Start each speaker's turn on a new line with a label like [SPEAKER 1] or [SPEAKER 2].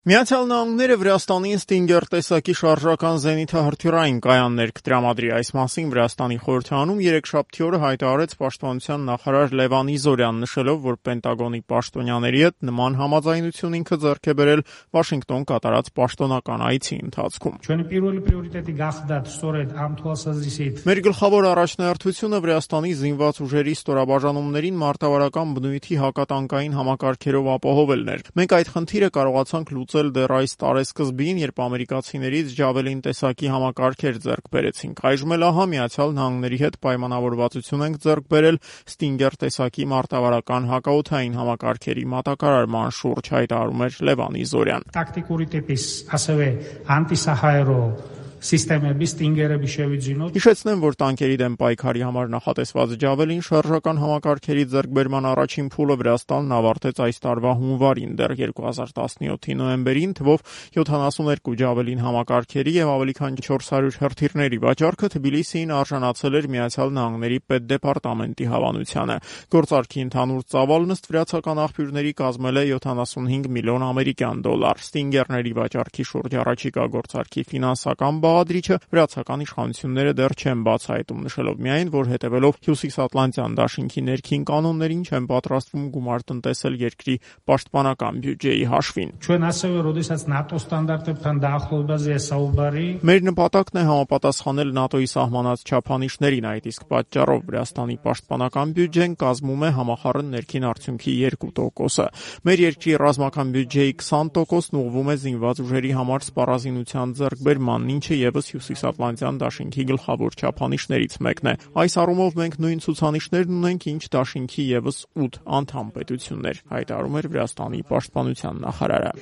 [SPEAKER 1] Միացյալ Նահանգները Վրաստանին Ստինգեր տեսակի շարժական զենիթահրթիռային կայաններ կտրամադրի։ Այս մասին Վրաստանի խորհրդարանում երեքշաբթի օրը հայտարարեց պաշտպանության նախարար Լևան Իզորյան, նշելով, որ Պենտագոնի պաշտոնյաների հետ նման համաձայնություն ինքը ձեռք է բերել Վաշինգտոն կատարած պաշտոնական այցի ընթացքում։ Մեր գլխավոր առաջնահերթությունը Վրաստանի զինված ուժերի ստորաբաժանումներին մարտավարական բնույթի հակատանկային համակարգերով ապահովելն էր։ Մենք այդ խնդիրը կարողացանք դեռ այս տարեսկզբին, երբ ամերիկացիներից Ջավելին տեսակի համակարգեր ձեռք բերեցինք։ Այժմ էլ ահա Միացյալ Նահանգների հետ պայմանավորվածություն ենք ձեռք բերել Ստինգեր տեսակի մարտավարական հակաօդային համակարգերի մատակարարման շուրջ, հայտարարում էր Լևան Իզորյան։ Հիշեցնեմ, որ տանկերի դեմ պայքարի համար նախատեսված Ջավելին շարժական համակարգերի ձեռքբերման առաջին փուլը Վրաստանն ավարտեց այս տարվա հունվարին, դեռ 2017-ի նոյեմբերին թվով 72 Ջավելին համակարգերի եւ ավելի քան 400 հրթիռների վաճառքը Թբիլիսիին արժանացել էր Միացյալ Նահանգների պետդեպարտամենտի հավանությանը։ Գործարքի ընդհանուր ծավալն ըստ վրացական աղբյուրների կազմել է 75 միլիոն ամերիկյան դոլար։ Ստինգերների վաճառքի շուրջ առաջիկա գործարքի ֆինանսական բաղադրիչը վրացական իշխանությունները դեռ չեն բացահայտում, նշելով միայն, որ հետևելով Հյուսիսատլանտյան դաշինքի ներքին կանոններին չեն պատրաստվում գումար տնտեսել երկրի պաշտպանական բյուջեի հաշվին։ Մեր նպատակն է համապատասխանել ՆԱՏՕ-ի սահմանած չափանիշներին, այդ իսկ պատճառով Վրաստանի պաշտպանական բյուջեն կազմում է համախառն ներքին արդյունքի 2%-ը։ Մեր երկրի ռազմական բյուջեի 20%-ն ուղղվում է զինված ուժերի համար սպառազինության ձեռքբերմանն, ինչը ևս Հյուսիսատլանտյան դաշինքի գլխավոր չափանիշներից մեկն է։ Այս առումով մենք նույն ցուցանիշներն ունենք, ինչ դաշինքի ևս 8 անդամ պետություններ, հայտարարում էր Վրաստանի պաշտպանության նախարարը։